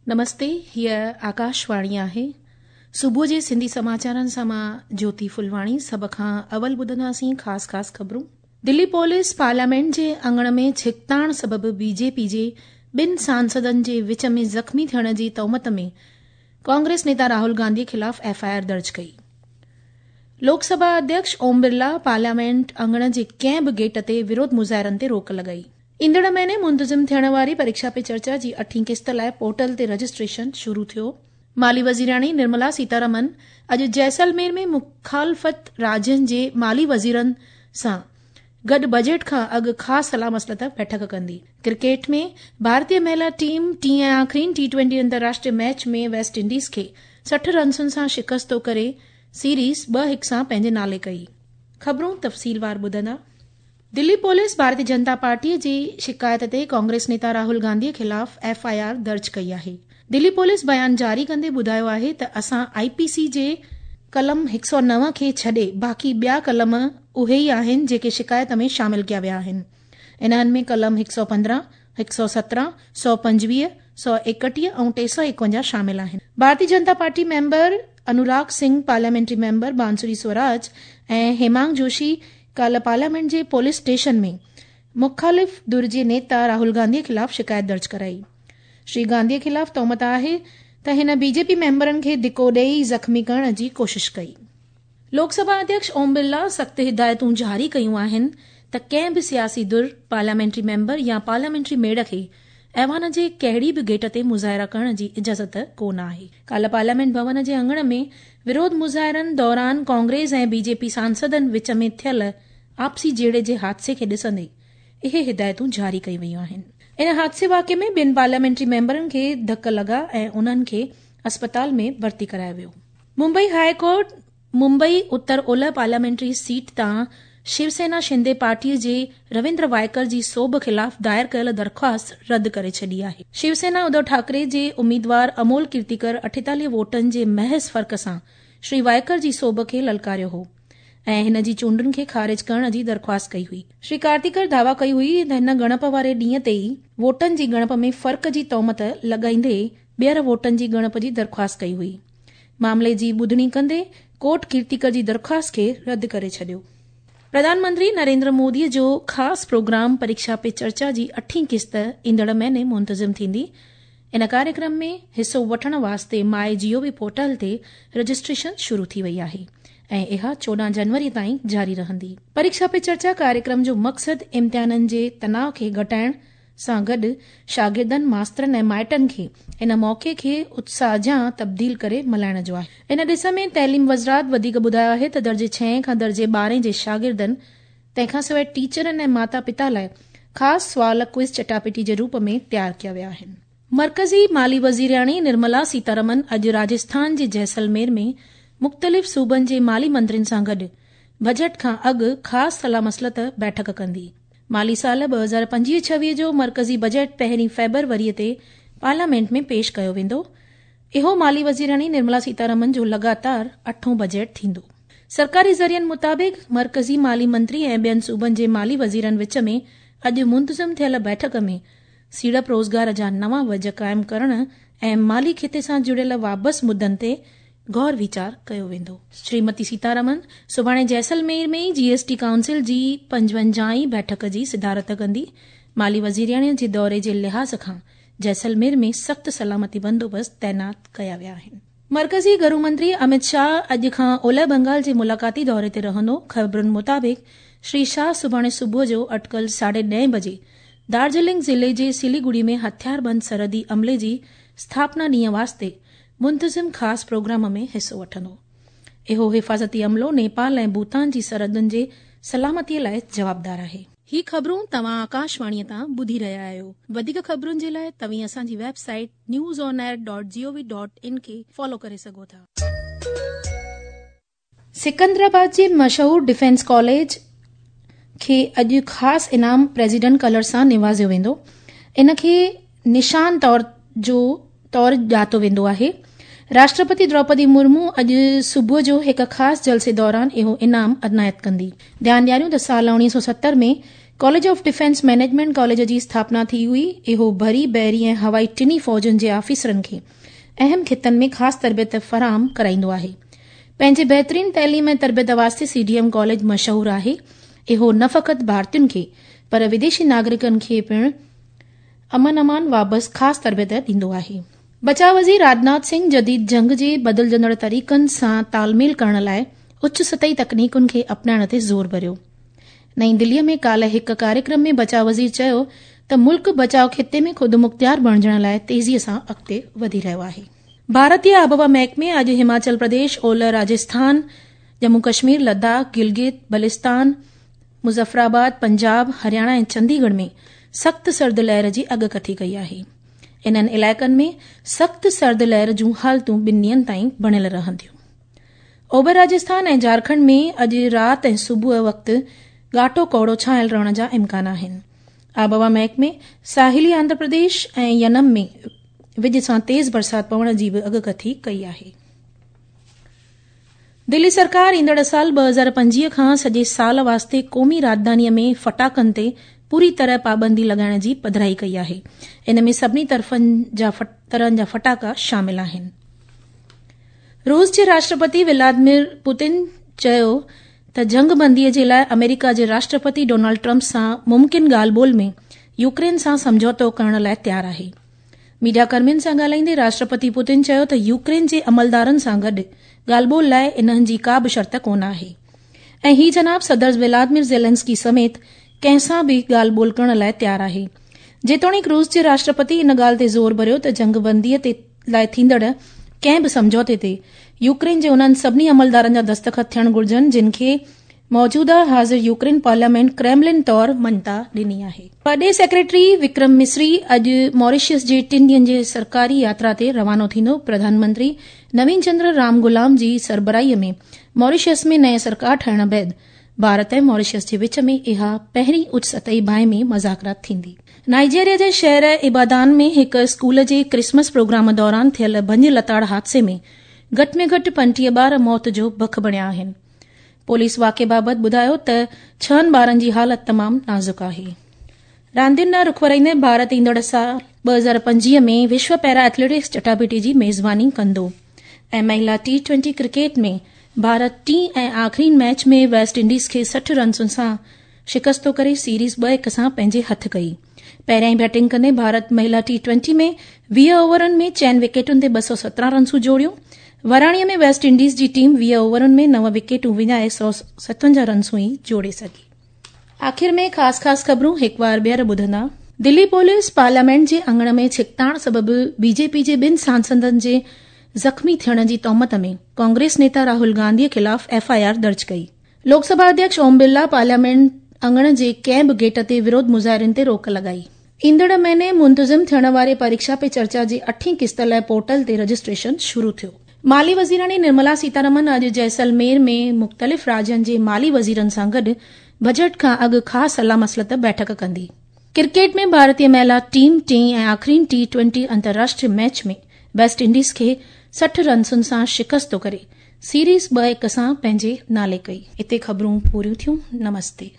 نمستي هيء آڪاشواڻي آهي. صبح جي سنڌي سماچارن سان مان جوتي ڦلواڻي سڀ کان اول ٻڌنداسين خاص خاص خبرون. دلي پوليس پارليامينٽ جي اڱڻ ۾ ڇڪتاڻ سبب بي جي پي جي ٻن سانسدن جي وچ ۾ زخمي ٿيڻ جي تهمت ۾ ڪانگريس نيتا راهول گانڌي خلاف ايف I R درج ڪئي. لوڪ سڀا اڌيڪش اوم برلا پارليامينٽ اڱڻ جي ڪنهن به گيٽ تي وروڌ مظاهرن تي روڪ لڳائي. ايندڙ مهيني منتظم ٿيڻ واري پريڪشا پي چرچا جي اٺين قسط لاء پورٽل تي رجسٽريشن شروع ٿيو. مالي وزيراڻي نرملا سيتارمن اڄ جيسلمير ۾ مخالفت راجين جي مالي وزيرن سان گڏ بجيٽ کان اڳ خاص صلاح مصلحت بيٺڪ ڪندي. ڪرڪيٽ ۾ ڀارتي مهلا ٽيم ٽين ۽ آخرين ٽي ٽوئنٽي انترراشٽري ميچ ۾ ويسٽ انڊيز کي 60 رنسن سان شڪست ڪري سيريز 2-1 سان پنهنجي نالي ڪئي. خبرون تفصيلوار ٻڌندا. دلي پوليس ڀارتي جنتا پارٽي جي شڪايت تي ڪانگريس نيتا راهول گانڌي خلاف ايف I R درج ڪئي آهي. دلي پوليس بيان جاري ڪندي ٻڌايو آهي ته اسان آء پي سي جي قلم 109 کي ڇڏي باقي ٻيا قلم اهي ئي آهن جيڪي شڪايت ۾ شامل ڪيا ويا آهن. انهن ۾ قلم 115، 117، 125، 131 ۽ 351 شامل آهن. Bharatiya Janata party member Anurag Singh, parliamentary member Bansuri Swaraj ۽ هيمانگ جوشي ڪالهه پارليامينٽ جي پوليس اسٽيشن ۾ مخالف ڌر جي نيتا راهول گانڌي خلاف شڪايت درج ڪرائي. شري گانڌي خلاف تهمت آهي ته هن بي جي پي ميمبرن کي ڌڪو ڏئي زخمي ڪرڻ جي ڪوشش ڪئي. لوڪ سڀا اڌيڪش اوم برلا سخت هدايتون جاري ڪيون آهن ته ڪنهن به سياسي ڌر، پارليامينٽري ميمبر يا پارليامينٽري ميڙ کي ايوان جي ڪهڙي به گيٽ تي مظاهرا ڪرڻ جي اجازت ڪو نه آهي. ڪالهه پارليامينٽ ڀون جي اڱڻ ۾ وروڌ مظاهرن دوران ڪانگريس ۽ بي جي پي سانسدن وچ ۾ ٿيل آپسي جهيڙي جي حادثي کي ڏسندي اهي هدايتون جاري ڪيون ويون آهن. ان حادثي واقعي ۾ ٻن پارليامينٽري ميمبرن کي ڌڪ لڳا ۽ انهن کي اسپتال ۾ ڀرتي ڪرايو ويو. ممبئي هاء ڪورٽ ممبئي اتر اولهه پارليامينٽري سيٽ تان شو سينا شندي پارٽي جي رويندر وائيڪر جي سوڀ خلاف دائر ڪيل درخواست رد ڪري ڇڏي آهي. شو سينا اڌو ٺاڪري جي اميدوار امول ڪيرتيڪر 48 ووٽن جي محض فرق سان شري وائيڪر جي سوڀ کي للڪاريو هو ۽ هن جي چونڊن کي خارج ڪرڻ جي درخواست ڪئي هئي. شري ڪارتيڪر دعويٰ ڪئي هئي ته هن ڳڻپ واري ڏينهن تي ئي ووٽن جي ڳڻپ ۾ فرق جي تهمت لڳائيندي ٻيهر ووٽن جي ڳڻپ جي درخواست ڪئي هئي. معاملي جي ٻڌڻي ڪندي ڪورٽ ڪيرتيڪر جي درخواست کي رد ڪري ڇڏيو. پرڌان منتري نريندر مودي جو خاص پروگرام پريڪشا پي چرچا جي اٺين قسط ايندڙ مهيني منتظم ٿيندي. ان ڪاريڪرم ۾ حصو وٺڻ واسطي ماء جي او وي پورٽل تي رجسٽريشن شروع ٿي وئي آهي ۽ اها 14 جنوري تائين جاري رهندي. پريڪشا پي چرچا ڪاريڪرم جو مقصد امتحانن جي تناء کي گهٽائڻ سان گڏ شاگردن، ماسترن ۽ مائٽن کي ان موقعي کي اتساهه جيان تبديل ڪري ملهائڻ جو آهي. ان ڏس ۾ تعليم وزارت وڌيڪ ٻڌايو آهي ته درجي ڇهين کان درجي ٻارهين جي شاگردن تنهن کان سواء ٽيچرن ۽ ماتا پتا لاء خاص سوال ڪوئز چٽاڀيٽي جي روپ ۾ تيار ڪيا ويا آهن. مرڪزي مالي وزيرياڻي نرملا سيتارمن اڄ راجسٿان جي جيسلمير ۾ مختلف صوبن جي مالي منترين سان گڏ بجيٽ کان اڳ خاص صلاح مصلحت بيٺڪ ڪندي. مالي سال 2025-26 جو مرڪزي بجيٽ پهرين فيبروري تي پارليامينٽ ۾ پيش ڪيو ويندو. اهو مالي وزيراڻي نرملا سيتارمن جو لڳاتار اٺون بجيٽ ٿيندو. سرڪاري ذريعن مطابق مرڪزي مالي منتري ۽ ٻين صوبن جي مالي وزيرن وچ ۾ اڄ منتظم ٿيل بيٺڪ ۾ سيڙپ روزگار جا نوان وجهه قائم ڪرڻ ۽ مالي کيتي سان جڙيل وابس مدن تي غور ويچار ڪيو ويندو. شريمتي سيتارمن سڀاڻي جيسلمير ۾ جي ايس ٽي ڪائونسل جي 55 هين بيٺڪ جي صدارت ڪندي. مالي وزيرياڻي جي دوري جي لحاظ کان جيسلمير ۾ سخت سلامتي بندوبست تعينات ڪيا ويا آهن. مرڪزي گهرو منتري امت شاهه اڄ کان اولهه بنگال جي ملاقاتي دوري تي رهندو. خبرن مطابق شري شاهه سڀاڻي صبح جو اٽڪل 10:30 بجي دارجلنگ ضلعي جي سليگڙي ۾ هٿياربند سرحدي عملي جي اسٿاپنا ڏينهن واسطي منتظم خاص پروگرام ۾ حصو وٺندو. اهو حفاظتي عملو نيپال ۽ ڀوتان جي سرحدن جي سلامتي لاء جوابدار آهي. هي خبرون توهان آڪاشواڻي تان ٻڌي رهيا آهيو. وڌيڪ خبرن جي لاء توهين اسان جي website news on air dot G O V dot in کي فالو ڪري سگهو ٿا. سڪندرآباد جي مشهور ڊفينس ڪاليج کي اڄ خاص انعام پريزيڊنٽ ڪلر سان نوازيو ويندو. ان کي نشان طور جو طور ڄاتو ويندو آهي. راشٽرپتي دروپدي مرمو اڄ صبح جو هڪ خاص جلسي دوران اهو انعام عنايت ڪندي. ڌيان ڏياريون ته سال 1970 ۾ College of defence management college جي اسٿاپنا ٿي هئي. اهو بري، بحري ۽ هوائي ٽنهي فوجن جي آفيسرن کي اهم خطن ۾ خاص تربيت فراهم ڪرائيندو آهي. پنهنجي بهترين تعليم ۽ تربيت واسطي سي ڊي ايم ڪاليج مشهور آهي. اهو نه فقط ڀارتين کي پر وديشي ناگرڪن کي پڻ امن امان وابست خاص تربيت ڏيندو آهي. بچاء وزير راجناٿ سنگهه جديد جنگ جي بدلجندڙ طريقن سان تال ميل ڪرڻ لاء اچ سطحي تڪنيڪن کي اپنائڻ تي زور ڀريو. نئين دلي ۾ ڪالهه هڪ ڪاريڪرم ۾ بچاء وزير چيو ته ملڪ بچاء خطي ۾ خودمختيار بڻجڻ لاء تيزي سان اڳتي وڌي رهيو آهي. ڀارتي آبهوا محڪمي اڄ هماچل پرديش، اولهه راجسٿان، ڄمون ڪشمير، لداخ، گلگت، بلستان، مظفرآباد، پنجاب، هرياڻا ۽ چنديڳڙهه ۾ سخت سرد لهر جي اڳڪٿي ڪئي آهي. انهن علائقن ۾ سخت سرد لهر جون حالتون ٻن ڏينهن تائين بڻيل رهنديون. اوڀر راجسٿان ۽ جهارکنڊ ۾ اڄ رات ۽ صبح وقت گهاٽو ڪوهيڙو ڇانيل رهڻ جا امڪان آهن. آبهوا محڪمي ساحلي آنڌرا پرديش ۽ ينم ۾ وڄ سان تيز برسات پوڻ جي به اڳڪٿي ڪئي آهي. دلي سرڪار ايندڙ سال 2025 کان سڄي سال واسطي قومي راڄڌاني ۾ ڦٽاڪن تي پوري طرح پابندي لڳائڻ جي پڌرائي ڪئي آهي. ان ۾ سڀني طرفن جا طرحن جا ڦٽاڪا شامل آهن. روس جي راشٽرپتي ولادمير پوتن چيو ته جنگ بندي جي لاء آمريڪا جي راشٽرپتي ڊونلڊ ٽرمپ سان ممڪن ڳالهه ٻولهه ۾ يوڪرين سان سمجهوتو ڪرڻ لاء تيار آهي. ميڊيا ڪرمين سان ڳالهائيندي راشٽرپتي پوتن چيو ته يوڪرين جي عملدارن سان گڏ ڳالهه ٻولهه لاء انهن جي ڪا به شرط ڪونه آهي ۽ هي جناب صدر ولادمير زيلنسڪي سميت ڪنهن سان به ڳالهه ٻولهه ڪرڻ لاء تيار آهي. جيتوڻيڪ روس جي راشٽرپتي ان ڳالهه تي زور ڀريو ته جنگ بندي تي لاء ٿيندڙ ڪنهن به سمجهوتي تي يوڪرين جي انهن سڀني عملدارن جا دستخط ٿيڻ گهرجن جن کي موجوده حاضر يوڪرين پارليامينٽ ڪريملن طور مڃتا ڏني آهي. پرڏيهي سيڪريٽري وڪرم مصري اڄ ماريشس جي ٽن ڏينهن جي سرڪاري ياترا تي روانو ٿيندو. پرڌان منتري نوين چندر رام گلام جي سربراهي ۾ ماريشس ۾ نئين سرڪار ٺهڻ بعد ڀارت ۽ ماريشس جي وچ ۾ اها پهرين اچ سطحي باهمي مذاڪرات ٿيندي. نائيجيريا جي شهر ابادان ۾ هڪ اسڪول جي ڪرسمس پروگرام دوران ٿيل ڀڃ لتاڙ حادثي ۾ گهٽ ۾ گهٽ 35 ٻار موت جو بک بڻيا آهن. پوليس واقعي بابت ٻڌايو ته ڇهن ٻارن جي حالت تمام نازڪ آهي. راندين ڏانهن رخ ورائيندي ڀارت ايندڙ سال 2025 ۾ وشو پيرا ايٿليٽڪس چٽاڀيٽي جي ميزباني ڪندو ۽ مهلا ٽي ٽوئنٽي ڪرڪيٽ ۾ ڀارت ٽين ۽ آخرين ميچ ۾ ويسٽ انڊيز کي 60 رنسن سان شڪستو ڪري سيريز 2-1 سان پنهنجي هٿ ڪئي. پهريائين بيٽنگ ڪندي ڀارت مهلا ٽي ٽوئنٽي ۾ 20 اوورن ۾ چئن وڪيٽن تي 217 رنسون جوڙيون. وراڻي ۾ ويسٽ انڊيز جي ٽيم 20 اوورن ۾ 9 وڪيٽون وڃائي 157 رنسون ئي جوڙي سگهي. آخر ۾ خاص خاص خبرون هڪ وار ٻيهر ٻڌندا. دلي پوليس پارليامينٽ جي اڱڻ ۾ ڇڪتاڻ سبب بي جي پي جي ٻن سانسدن جي زخمي ٿيڻ جي تهمت ۾ ڪانگريس نيتا راهول گانڌي خلاف ايف I R درج ڪئي. لوڪ سڀا اڌيڪش اوم برلا پارليامينٽ اڱڻ جي ڪنهن به گيٽ تي وروڌ مظاهرين تي روڪ لڳائي. ايندڙ مهيني منتظم ٿيڻ واري پريڪشا پي چرچا جي اٺين قسط لاء پورٽل تي رجسٽريشن شروع ٿيو. مالي وزيراڻي نرملا سيتارمن اڄ جيسلمير ۾ مختلف راجين جي مالي وزيرن سان گڏ بجيٽ کان اڳ خاص صلاح مصلحت بيٺڪ ڪندي. ڪرڪيٽ ۾ ڀارتي مهلا ٽيم ٽئين ۽ آخرين ٽي ٽوئنٽي انترراشٽري ميچ ۾ ويسٽ انڊيز کي 60 رنسن سان شڪست ڪري سيريز 2-1 سان پنهنجي نالي ڪئي. اتي خبرون پوريون ٿيون. نمستي.